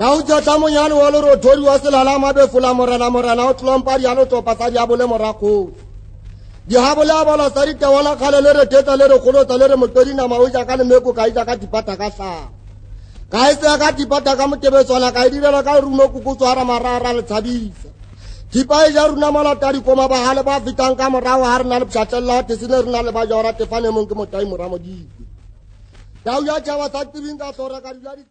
Tau jata mo yan walo ro tori wasela la mabe fula morana o tlompari ano to pasari abole morako. Di habola bala sari te wala kale le teta le kholo tale le motori na mauja kale meko kai jaka dipata ka sa. Kai se ka dipata ka motebe tswala kai direla ka runo kuku tswara marara le tshabisa. Dipai ja runa mala tari koma ba hale ba fitang ka morao har na le pshatella te sine runa le ba jora te fane mo ke motai moramo di. Tau ya jawa sa tibinga tora ka dilari